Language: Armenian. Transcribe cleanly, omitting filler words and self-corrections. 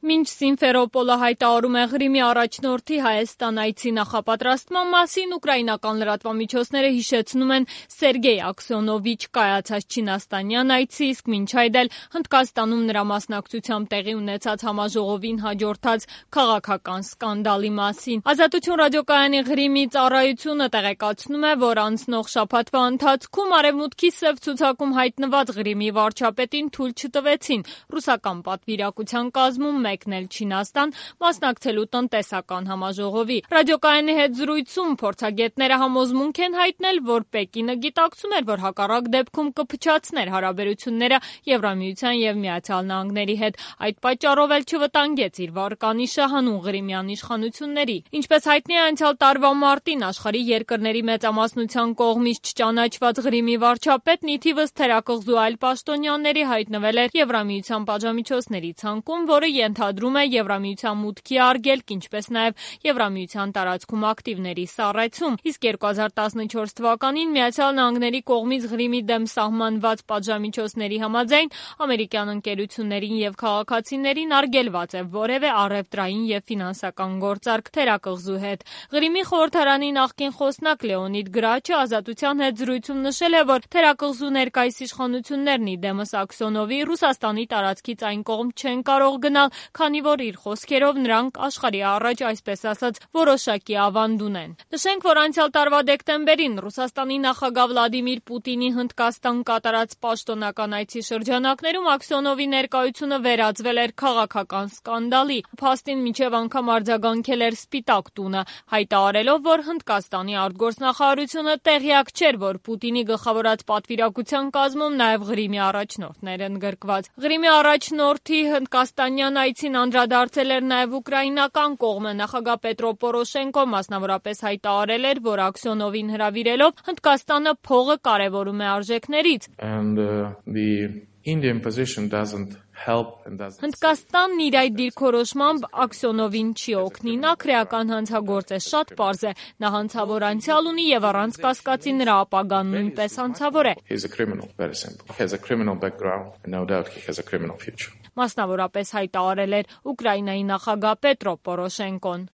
Մինչ Սիմֆերոպոլը հայտարարում է Ղրիմի առաջնորդի Հայաստան այցի նախապատրաստման մասին, ուկրաինական լրատվամիջոցները հիշեցնում են Սերգեյ Աքսյոնովիչ կայացած չինաստանյան այցի, իսկ մինչ այդ էլ Հնդկաստանում նրա մասնակցությամբ տեղի ունեցած համաժողովին հաջորդած քաղաքական սկանդալի մասին։ Ազատություն ռադիոկայանի Ղրիմի ծառայությունը տեղեկացնում է, որ անցնող շաբաթվա ընթացքում Արևմուտքի սև ցուցակում հայտնված Ղրիմի վարչապետին թույլ չտվեցին ռուսական պատվիրակության կազմում մեկնել Չինաստան մասնակցելու տնտեսական համաժողովի։ Ռադիոկայանի հետ զրույցում փորձագետները համոզմունք են հայտնել, որ Պեկինը գիտակցում էր, որ հակառակ դեպքում կփչացներ հարաբերությունները Եվրամիության եւ Միացյալ Նահանգների հետ։ Այդ պատճառով էլ չվտանգեց իր վարկանիշը հանուն Ղրիմյան իշխանությունների։ Ինչպես հայտնի է, անցյալ տարվա մարտին աշխարհի երկրների մեծամասնության կողմից չճանաչված Ղրիմի վարչապետն ի թիվս թերակղզու այլ պաշտոնյաների հայտնվել էր Եվրամիության պատժամիջոցների ցանկում, որը ենթադրում է Եվրամիության մուտքի արգելք, ինչպես նաև Եվրամիության տարածքում ակտիվների սառեցում։ Իսկ 2014 թվականին Միացյալ Նահանգների կողմից Ղրիմի դեմ սահմանված պատժամիջոցների համաձայն ամերիկյան ընկերություններին եւ քաղաքացիներին արգելված է որևէ առևտրային եւ ֆինանսական գործարք թերակղզու հետ։ Ղրիմի խորհրդարանի նախկին խոսնակ Լեոնիդ Գրաչը Ազատության հետ զրույցում նշել է, որ թերակղզու ներկայիս իշխանություններն ի դեմս Աքսյոնովի Ռուսաստանի տարածքից այն կողմ չեն կարող գնալ, քանի որ իր խոսքերով նրանք աշխարհի առաջ, այսպես ասած, որոշակի ավանդ ունեն։ Նշենք, որ անցյալ տարվա դեկտեմբերին Ռուսաստանի նախագահ Վլադիմիր Պուտինի Հնդկաստան կատարած պաշտոնական այցի շրջանակներում Աքսյոնովի ներկայությունը վերածվել էր քաղաքական սկանդալի։ Փաստին մինչև անգամ արձագանքել էր Սպիտակ տունը, հայտարարելով, որ Հնդկաստանի արտգործնախարարությունը տեղյակ չէր, որ Պուտինի գլխավորած պատվիրակության կազմում նաև Ղրիմի առաջնորդներ են գրկված։ Ղրիմի առաջնորդի հնդկաստանյան այցին անդրադարձել էր նաև ուկրաինական կողմը։ Նախագահ Պետրո Պորոշենկոն մասնավորապես հայտարարել էր, որ Աքսյոնովին հրավիրելով Հնդկաստանը փողը կարևորում է արժեքներից։ Հնդկաստանն իր այդ դիրքորոշմամբ Աքսյոնովին չի օգնի։ Նա քրեական հանցագործ է, շատ պարզ է։ Նա հանցավոր անցյալ ունի եւ առանց կասկածի նրա ապագան նույնպես հանցավոր է։ Մասնավորապես հայտարարել էր Ուկրաինայի նախագահ Պետրո Պորոշենկոն։